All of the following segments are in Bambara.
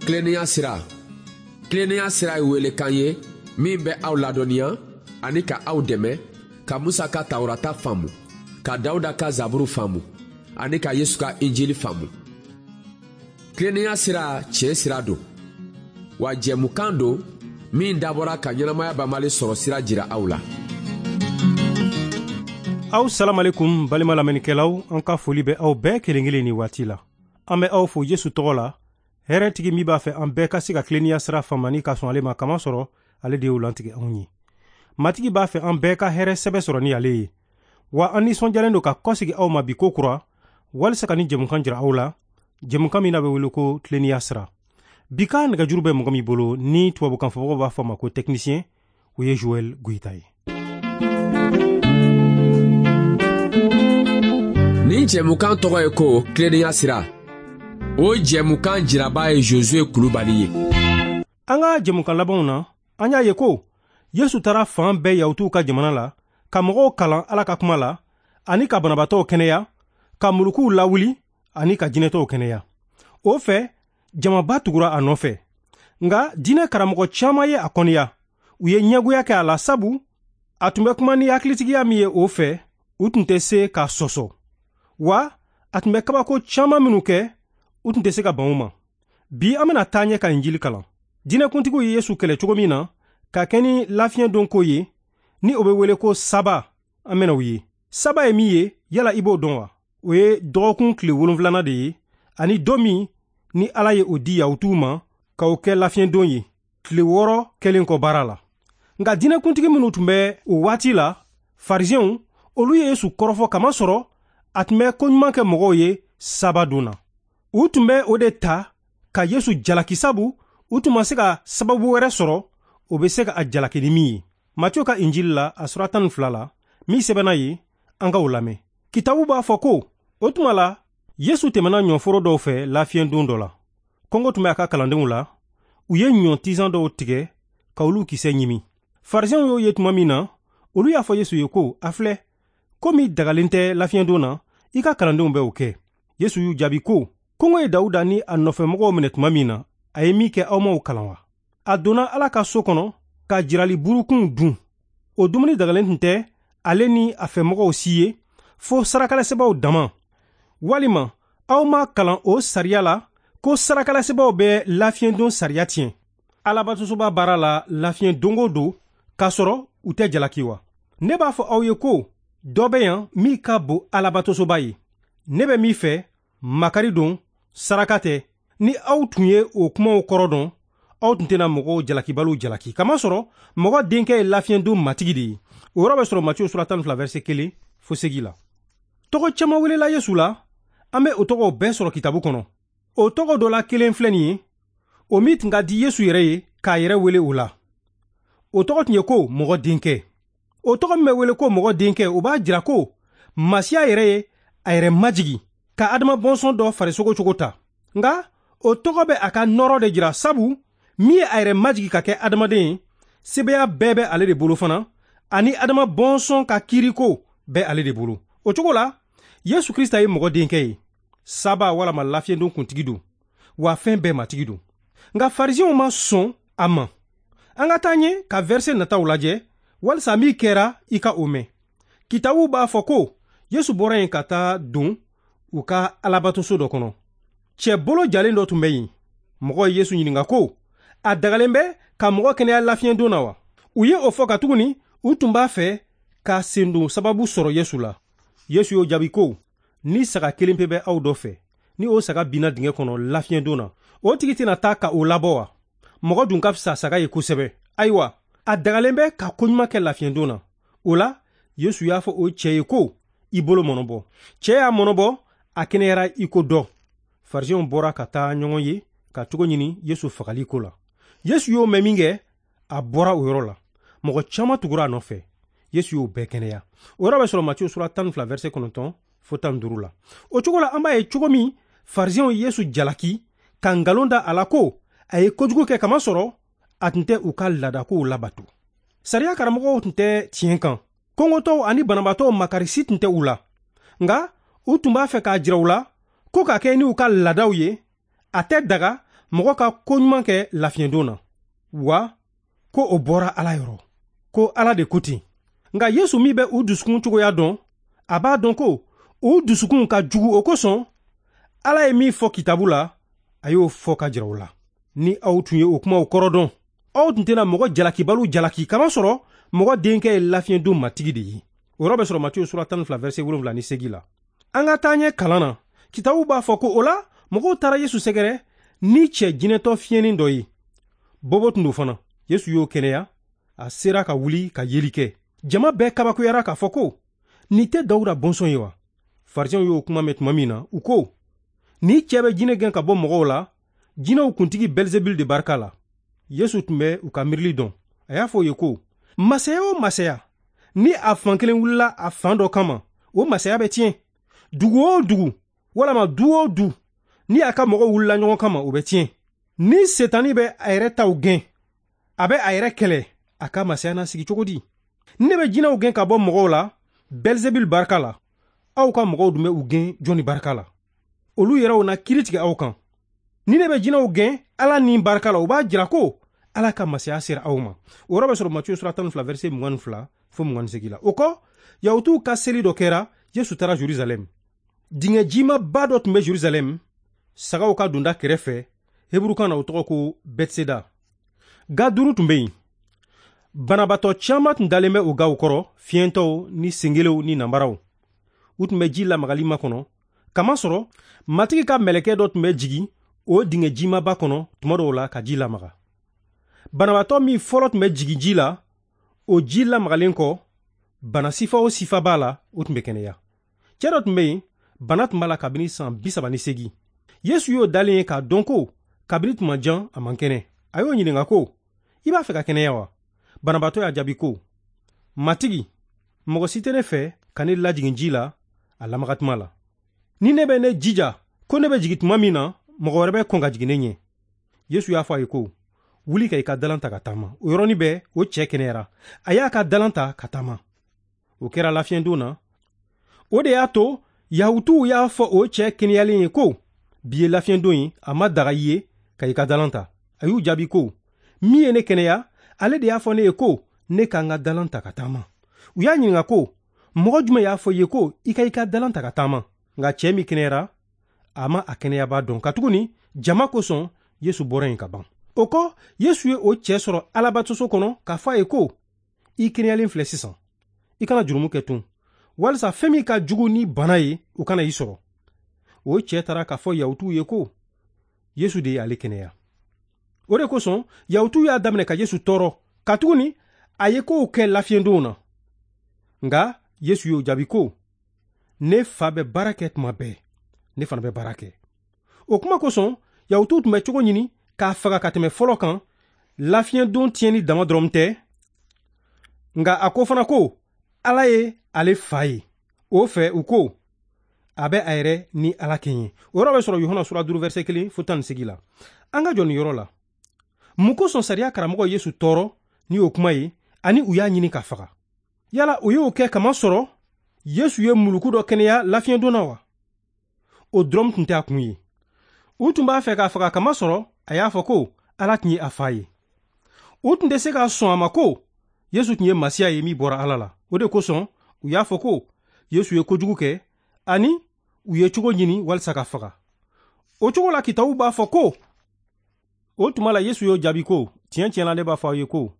Tilennenya sira. Tilennenya sira ye welekan ye min bɛ aw ladɔnniya ani ka aw dɛmɛ ka Musa ka Tawurata faamu, ka Dawuda ka Zaburu faamu ani ka Yesu ka Injili faamu. Tilennenya sira tiɲɛ sira don, wa jɛmukan don min dabɔra ka ɲɛnamaya banbali sɔrɔ sira jira aw la. Aw salamalekum balima lamɛnnikɛlaw, an ka foli bɛ aw bɛɛ kelen kelen ni waati la. An bɛ aw fo Yesu tɔgɔ la, hɛrɛtigi min b'a fɛ an bɛɛ ka se ka tilennenya sira faamu ani ka sɔn ale ma, kama sɔrɔ ale de y'o lantigɛ anw ye. Matigi b'a fɛ an bɛɛ ka hɛrɛ sɛbɛ sɔrɔ ni ale ye. Wa an nisɔndiyalen don ka kɔsegi aw ma bi ko kura, walisa ka ni jɛmukan jira aw la, jɛmukan min n'a bɛ wele ko tilennenya sira. Bi ka nɛgɛjuru bɛ mɔgɔ min bolo ni tubabukan fɔbagaw b'a fɔ a ma ko technicien, o ye Joël Goyita ye. Nin jɛmukan tɔgɔ ye ko tilennenya sira. O jɛmukan jiraba ye Josué Kulubali ye. An ka jɛmukan labanw na, an y'a ye ko Yesu taara fan bɛɛ Yahutuw ka jamana la, ka mɔgɔw kalan Ala ka kuma la, ani ka banabaatɔw kɛnɛya, ka mulukuw lawuli, ani ka jinɛtɔw kɛnɛya. O fɛ, jamaba tugura a nɔfɛ. Nka diinɛ karamɔgɔ caman ye a kɔniya. U ye ɲɛgoya kɛ a la sabu a tun bɛ kuma ni hakilitigiya min ye o fɛ, u tun tɛ se k'a sɔsɔ. Wa a tun bɛ kabako caman minnu kɛ, u tun tɛ se ka ban o ma. Bi an bɛna taa ɲɛ ka Injili kalan. Diinɛkuntigiw ye Yesu kɛlɛ cogo min na, ka kɛ ni lafiɲɛ don ko ye, ni o bɛ wele ko saba, an bɛna o ye. Saba ye min ye, yala i b'o dɔn wa? O ye dɔgɔkun tile 7nan de ye, ani don min ni Ala ye o di Yahutuw ma ka o kɛ lafiɲɛ don ye, tile 6 kɛlen kɔ baara la. Nka diinɛkuntigi minnu tun bɛ o waati la, Farisɛnw, olu ye Yesu kɔrɔfɔ kamasɔrɔ a tun bɛ koɲuman kɛ mɔgɔw ye saba don na. U tun bɛ o de ta ka Yesu jalaki sabu u tun ma se ka sababu wɛrɛ sɔrɔ o bɛ se ka a jalaki ni min ye. Matiyo ka Injili la, a sura 12 la, min sɛbɛnna ye, an ka o lamɛn. Kitabu b'a fɔ ko, o tuma la, Yesu tɛmɛna ɲɔforo dɔw fɛ lafiɲɛ don dɔ la. Kɔngɔ tun bɛ a ka kalandenw la, u ye ɲɔ tizan dɔw tigɛ ka olu kisɛ ɲimi. Farisɛnw y'o ye tuma min na, olu y'a fɔ Yesu ye ko, a filɛ, komi dagalen tɛ lafiɲɛ don na, i ka kalandenw bɛ o kɛ. Yesu y'u jaabi ko, kɔngɔ ye Dawuda ni a nɔfɛmɔgɔw minɛ tuma min na, a ye min kɛ aw m'o kalan wa? A donna Ala ka so kɔnɔ ka jirali burukunw dun. O dumuni dagalen tun tɛ ale ni a fɛmɔgɔw si ye, fo sarakalasebaaw dama. Walima aw ma kalan o sariya la ko sarakalasebaaw bɛ lafiɲɛ don sariya tiɲɛ. Alabatosoba baara la lafiɲɛ don o don, k'a sɔrɔ u tɛ jalaki wa? Ne b'a fɔ aw ye ko dɔ bɛ yan min ka bon Alabatosoba ye. Ne bɛ min fɛ, makari don, saraka tɛ. Ni aw tun ye o kumaw kɔrɔ dɔn, aw tun tɛna mɔgɔw jalakibaliw jalaki. Kamasɔrɔ mɔgɔ denkɛ ye lafiɲɛ don matigi de ye. O yɔrɔ bɛ sɔrɔ Matiyo sura 12 verset 1 fo 8 la. Tɔgɔ caman welela Yesu la, an bɛ o tɔgɔw bɛɛ sɔrɔ kitabu kɔnɔ. O tɔgɔ dɔ la kelen filɛ nin ye, o min tun ka di Yesu yɛrɛ ye k'a yɛrɛ wele o la. O tɔgɔ tun ye ko mɔgɔ denkɛ. O tɔgɔ min bɛ wele ko mɔgɔ denkɛ, o b'a jira ko Masiya yɛrɛ ye a yɛrɛ majigi ka Adama bɔnsɔn dɔ farisogo cogo ta. Nka o tɔgɔ bɛ a ka nɔrɔ de jira sabu min ye a yɛrɛ majigi ka kɛ adamaden ye, sebeya bɛɛ bɛ ale de bolo fana, ani Adama bɔnsɔn ka kiiriko bɛ ale de bolo. O cogo la, Yesu Krista ye mɔgɔ denkɛ ye, saba walama lafiɲɛdon kuntigi don, wa fɛn bɛɛ matigi don. Nka Farisɛnw ma sɔn a ma. An ka taa ɲɛ ka verset nataw lajɛ, walisa min kɛra i ka o mɛn. Kitabu b'a fɔ ko Yesu bɔra yen ka taa don u ka alabatoso dɔ kɔnɔ. Cɛ bolo jalen dɔ tun bɛ yen. Mɔgɔw ye Yesu ɲininka ko, a dagalen bɛ ka mɔgɔ kɛnɛya lafiɲɛ don na wa? U ye o fɔ katuguni u tun b'a fɛ ka sendon sababu sɔrɔ Yesu la. Yesu y'o jaabi ko, ni saga kelen pe bɛ aw dɔ fɛ, ni o saga binna dingɛ kɔnɔ lafiɲɛ don na, o tigi tɛna taa ka o labɔ wa? Mɔgɔ dun ka fisa saga ye kosɛbɛ. Ayiwa, a dagalen bɛ ka koɲuman kɛ lafiɲɛ don na. O la, Yesu y'a fɔ o cɛ ye ko, i bolo mɔnɔbɔ. Cɛ y'a mɔnɔbɔ, a kɛnɛyara i ko dɔ. Farisɛnw bɔra ka taa ɲɔgɔn ye ka cogo ɲini Yesu fagali ko la. Yesu y'o mɛn min kɛ, a bɔra o yɔrɔ la. Mɔgɔ caman tugura a nɔfɛ. Yesu y'o bɛɛ kɛnɛya. O yɔrɔ bɛ sɔrɔ Matiyo sura 12 verset 9 fo 15 la. O cogo la, an b'a ye cogo min Farisɛnw ye Yesu jalaki ka nkalon da a la ko a ye kojugu kɛ kamasɔrɔ a tun tɛ u ka laadakow labato. Sariya karamɔgɔw tun tɛ tiɲɛ kan. Kɔngɔtɔw ani banabaatɔw makarisi tun tɛ u la. Nka u tun b'a fɛ k'a jira u la ko ka kɛ n'u ka laadaw ye, a tɛ daga mɔgɔ ka ko ɲuman kɛ lafiɲɛdon na, wa ko o bɔra Ala yɔrɔ, ko Ala de ko ten. Nka Yesu min bɛ u dusukun cogoya dɔn, a b'a dɔn ko u dusukun ka jugu, o kosɔn Ala ye min fɔ kitabu la, a y'o fɔ ka jira u la. Ni aw tun ye o kumaw kɔrɔ dɔn, aw tun tɛna mɔgɔ jalakibaliw jalaki, kamasɔrɔ mɔgɔ denkɛ ye lafiɲɛdon matigi de ye. O yɔrɔ bɛ sɔrɔ Matiyu sura 12 verset 78 la. An ka taa ɲɛ kalan na. Kitabu b'a fɔ ko o la mɔgɔw taara Yesu sɛgɛrɛ ni cɛ jinɛtɔ fiɲɛnin dɔ ye. Bobo tun don fana. Yesu y'o kɛnɛya, a sera ka wuli ka yeli kɛ. Jama bɛɛ kabakoyara k'a fɔ ko nin tɛ Dawuda bɔnsɔn ye wa? Farisiɛnw y'o kuma mɛn tuma min na, u ko ni cɛ bɛ jinɛ gɛn ka bɔ mɔgɔw la, jinɛw kuntigi Bɛlizebul de barika la. Yesu tun bɛ u ka miirili dɔn. A y'a fɔ u ye ko masaya o masaya, ni a fan kelen wulila a fan dɔ kama, o masaya bɛ tiɲɛ. Dugu o dugu walama du o du, ni a ka mɔgɔw wulila ɲɔgɔn kama, o bɛ tiɲɛ. Ni Setani bɛ a yɛrɛ taw gɛn, a bɛ a yɛrɛ kɛlɛ, a ka masaya na sigi cogo di? Ne bɛ jinɛw gɛn ka bɔ mɔgɔw la Bɛlizebul barika la, aw ka mɔgɔw dun bɛ u gɛn jɔnni barika la? Olu yɛrɛw na kiiri tigɛ aw kan. Ni ne bɛ jinɛw gɛn Ala ni barika la, o b'a jira ko Ala ka masaya sera aw ma. O yɔrɔ bɛ sɔrɔ Matiyu sura 12 verset 22 fo 28 la. O kɔ, Yahutuw ka seli dɔ kɛra, Yesu taara Jerusalɛm. Dingɛ jimaba dɔ tun bɛ Jerusalɛm, sagaw ka donda kɛrɛfɛ, Heburukan na o tɔgɔ ko Bɛtiseda. Ga 5 tun bɛ yen. Banabaatɔ caman tun dalen bɛ o gaw kɔrɔ, fiyɛntɔw ni sengelew ni nanbaraw. U tun bɛ ji lamagali makɔnɔ, kamasɔrɔ Matigi ka mɛlɛkɛ dɔ tun bɛ jigin o dingɛ jimaba kɔnɔ tuma dɔw la ka ji lamaga. Banabaatɔ min fɔlɔ tun bɛ jigin ji la, o ji lamagalen kɔ, bana sifa o sifa b'a la, o tun bɛ kɛnɛya. Cɛ dɔ tun bɛ yen, bana tun b'a la kabini san 38. Yesu y'o dalen ye k'a dɔn ko kabini tuma jan a man kɛnɛ. A y'o ɲininka ko, i b'a fɛ ka kɛnɛya wa? Banabaatɔ y'a jaabi ko, Matigi, mɔgɔ si tɛ ne fɛ ka ne lajigin ji la a lamagatuma la. Ni ne bɛ ne jija ko ne bɛ jigin tuma min na, mɔgɔ wɛrɛ bɛ kɔn ka jigin ne ɲɛ. Yesu y'a fɔ a ye ko, wuli ka i ka dalan ta ka taama. O yɔrɔnin bɛɛ, o cɛ kɛnɛyara. A y'a ka dalan ta ka taama. O kɛra lafiɲɛdon na. O de y'a to Yahutuw y'a fɔ o cɛ kɛnɛyalen ye ko, bi ye lafiɲɛdon ye, a ma daga i ye ka i ka dalan ta. A y'u jaabi ko, min ye ne kɛnɛya, ale de y'a fɔ ne ye ko ne ka n ka dalan ta ka taama. U y'a ɲininka ko, mɔgɔ jumɛn y'a fɔ i ye ko i ka i ka dalan ta ka taama? Nka cɛ min kɛnɛyara, a ma a kɛnɛyaba dɔn, katuguni jama kosɔn Yesu bɔra yen ka ban. O kɔ, Yesu ye o cɛ sɔrɔ Alabatoso kɔnɔ k'a fɔ a ye ko, i kɛnɛyalen filɛ sisan, i kana jurumu kɛ tun, walisa fɛn min ka jugu ni bana ye, o kana i sɔrɔ. O cɛ taara k'a fɔ Yahutuw ye ko Yesu de ye ale kɛnɛya. O de kosɔn Yahutuw y'a daminɛ ka Yesu tɔɔrɔ, katuguni a ye kow kɛ lafiɲɛdonw na. Nka Yesu y'o jaabi ko, ne fa bɛ baara kɛ tuma bɛɛ, ne fana bɛ baara kɛ. O kuma kosɔn Yahutuw tun bɛ cogo ɲini k'a faga ka tɛmɛ fɔlɔ kan. Lafiɲɛdon tiɲɛni dama dɔrɔn tɛ, nka a ko fana ko Ala ye ale fa ye. O fɛ u ko a bɛ a yɛrɛ ni Ala kɛɲɛ. O yɔrɔ bɛ sɔrɔ Yohana sura 5 verset 1 fo 18 la. An ka jɔ nin yɔrɔ la. Mun kosɔn sariya karamɔgɔ Yesu tɔɔrɔ ni o kuma ye, ani u y'a ɲini k'a faga? Yala o y'o kɛ kamasɔrɔ Yesu ye muluku dɔ kɛnɛya lafiɲɛdon na wa? O dɔrɔn tun tɛ a kun ye. U tun b'a fɛ k'a faga kamasɔrɔ a y'a fɔ ko Ala tun ye a fa ye. U tun tɛ se ka sɔn a ma ko Yesu tun ye Masiya ye min bɔra Ala la. O de kosɔn u y'a fɔ ko Yesu ye kojugu kɛ, ani u ye cogo ɲini walisa ka faga. O cogo la kitabu b'a fɔ ko, o tuma la Yesu y'o jaabi ko, tiɲɛ tiɲɛ la ne b'a fɔ aw ye ko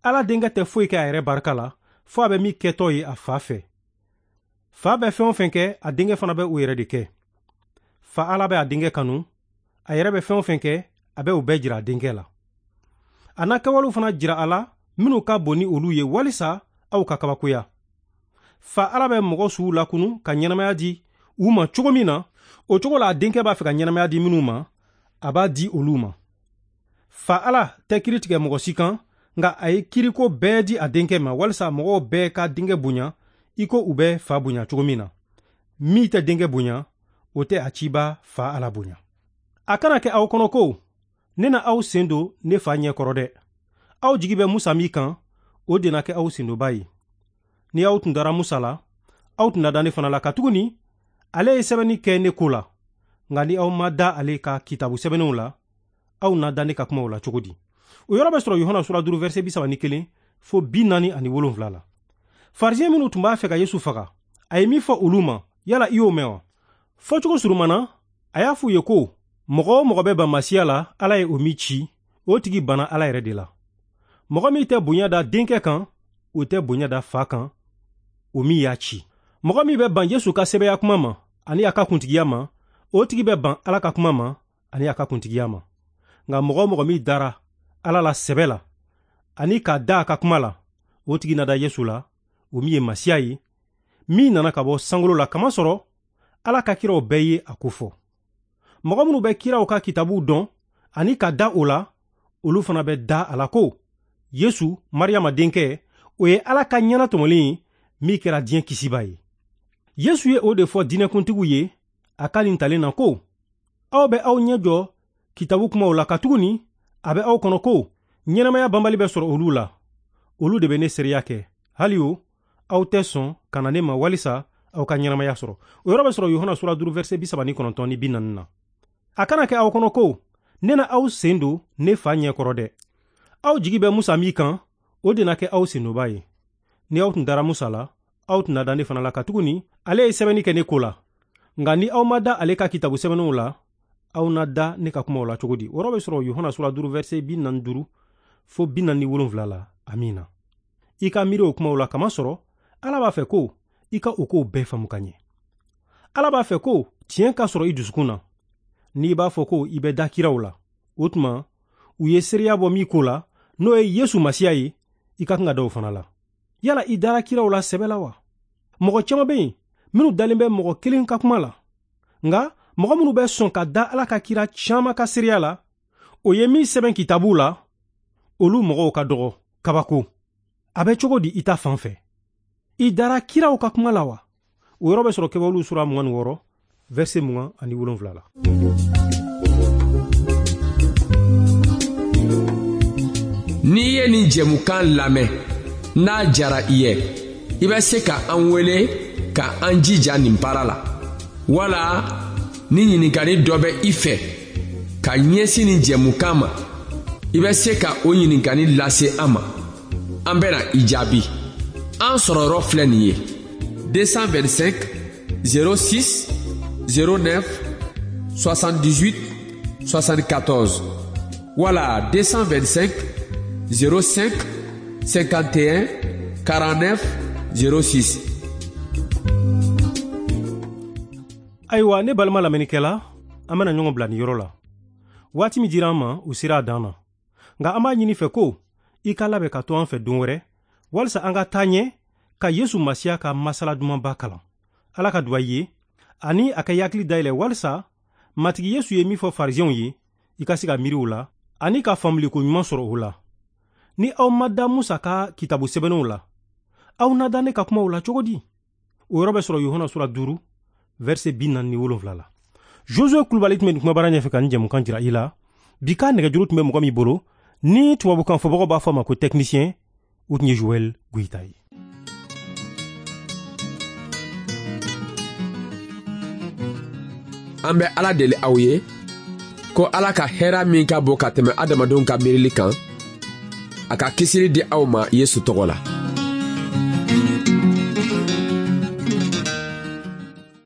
Ala denkɛ tɛ foyi kɛ a yɛrɛ barika la, fo a bɛ min kɛtɔ ye a fa fɛ. Fa bɛ fɛn o fɛn kɛ, a denkɛ fana bɛ o yɛrɛ de kɛ. Fa Ala bɛ a denkɛ kanu, a yɛrɛ bɛ fɛn o fɛn kɛ, a bɛ o bɛɛ jira a denkɛ la. A n'a kɛwalew fana jira a la minnu ka bon ni olu ye, walisa aw ka kabakoya. Fa Ala bɛ mɔgɔ suw lakunu ka ɲɛnamaya di u ma cogo min na, o cogo la a denkɛ b'a fɛ ka ɲɛnamaya di minnu ma, a b'a di olu ma. Fa Ala tɛ kiiri tigɛ mɔgɔ si kan, nka a ye kiiriko bɛɛ di a denkɛ ma, walisa mɔgɔw bɛɛ ka denkɛ bonya i ko u bɛ fa bonya cogo min na. Min tɛ denkɛ bonya, o tɛ a ciba fa Ala bonya. A kana kɛ aw kɔnɔ ko ne na aw sen don ne fa ɲɛ kɔrɔ dɛ. Aw jigi bɛ Musa min kan, o de na kɛ aw sendonba ye. Ni aw tun dara Musa la, aw tun na da ne fana la, katuguni ale ye sɛbɛnni kɛ ne ko la. Nka ni aw ma da ale ka kitabu sɛbɛnnenw la, aw na da ne ka kumaw la cogo di? O yɔrɔ bɛ sɔrɔ Yohana sura 5 verset 31 fo 47 la. Farisiyɛn minnu tun b'a fɛ ka Yesu faga, a ye min fɔ olu ma, yala i y'o mɛn wa? Fɔcogo surumana, a y'a f'u ye ko mɔgɔ o mɔgɔ bɛ ban Masiya la, Ala ye o min ci, o tigi banna Ala yɛrɛ de la. Mɔgɔ min tɛ bonya da denkɛ kan, o tɛ bonya da fa kan, o min y'a ci. Mɔgɔ min bɛ ban Yesu ka sɛbɛya kuma ma ani a ka kuntigiya ma, o tigi bɛ ban Ala ka kuma ma ani a ka kuntigiya ma. Nka mɔgɔ o mɔgɔ min dara Ala la sɛbɛ la ani ka da a ka kuma la, o tigi na da Yesu la, o min ye Masiya ye, min nana ka bɔ sankolo la, kamasɔrɔ Ala ka kiraw bɛɛ ye a ko fɔ. Mɔgɔ minnu bɛ kiraw ka kitabuw dɔn ani ka da o la, olu fana bɛ da a la ko Yesu, Mariyama denkɛ, o ye Ala ka ɲɛnatɔmɔlen ye min kɛra diɲɛ kisiba ye. Yesu ye o de fɔ diinɛkuntigiw ye a ka nin talen na ko, aw bɛ aw ɲɛ jɔ kitabu kumaw la, katuguni a bɛ aw kɔnɔ ko ɲɛnamaya banbali bɛ sɔrɔ olu la. Olu de bɛ ne seereya kɛ. Hali o, aw tɛ sɔn ka na ne ma walisa aw ka ɲɛnamaya sɔrɔ. O yɔrɔ bɛ sɔrɔ Yohana sura 5 verset 39 ni 40 na. A kana kɛ aw kɔnɔ ko ne na aw sen don ne fa ɲɛ kɔrɔ dɛ. Aw jigi bɛ Musa min kan, o de na kɛ aw sendonba ye. Ni aw tun dara Musa la, aw tun na da ne fana la, katuguni ale ye sɛbɛnni kɛ ne ko la. Nka ni aw ma da ale ka kitabu sɛbɛnnenw la, aw na da ne ka kumaw la cogo di? O yɔrɔ bɛ sɔrɔ Yohana sura 5 verset 45 fo 47 la. Amiina. I ka miiri o kumaw la, kamasɔrɔ Ala b'a fɛ ko i ka o kow bɛɛ faamu ka ɲɛ. Ala b'a fɛ ko tiɲɛ ka sɔrɔ i dusukun na. N'i b'a fɔ ko i bɛ da kiraw la, o tuma u ye seereya bɔ min ko la, n'o ye Yesu Masiya ye, i ka kan ka da o fana la. Yala i dara kiraw la sɛbɛ la wa? Mɔgɔ caman bɛ yen minnu dalen bɛ mɔgɔ kelen ka kuma la. Nka mɔgɔ minnu bɛ sɔn ka da Ala ka kira caman ka seereya la, o ye min sɛbɛn kitabuw la, olu mɔgɔw ka dɔgɔ kabako. A bɛ cogo di i ta fan fɛ? I dara kiraw ka kuma la wa? O yɔrɔ bɛ sɔrɔ Kɛwalew sura 26 verset 27 la. N'i ye nin jɛmukan lamɛn, n'a jara i ye, i bɛ se ka an wele ka an jija nin baara la. Wala ni ɲininkali dɔ bɛ i fɛ ka ɲɛsin nin jɛmukan ma, i bɛ se ka o ɲininkali lase an ma. An bɛna i jaabi. An sɔrɔyɔrɔ filɛ nin ye: 225 06 09 78 74 wala 225 05 51 49 06. Ayiwa, ne balima lamɛnnikɛla, an bɛna ɲɔgɔn bila nin yɔrɔ la. Waati min dira an ma, o sera a dan na. Nka an b'a ɲini fɛ ko i ka labɛn ka to an fɛ don wɛrɛ, walisa an ka taa ɲɛ ka Yesu Masiya ka masala dumanba kalan. Ala ka duba i ye, ani a ka i hakili dayɛlɛ walisa Matigi Yesu ye min fɔ farisiyɛnw ye, i ka se ka miiri o la, ani ka faamuliko ɲuman sɔrɔ o la. Ni aw ma da Musa ka kitabu sɛbɛnnenw la, aw na da ne ka kumaw la cogo di? O yɔrɔ bɛ sɔrɔ Yohana sura 5 verset 47 la. Josue Kulubali tun bɛ nin kumabara ɲɛfɛ ka nin jɛmukan jira i la. Bi ka nɛgɛjuru tun bɛ mɔgɔ min bolo, ni tubabukan fɔbagaw b'a fɔ a ma ko technicien, o tun ye Joël Goyita ye. An bɛ Ala deli aw ye ko Ala ka hɛra min ka bon ka tɛmɛ adamadenw ka miirili kan, a ka kisili di aw ma Yesu tɔgɔ la.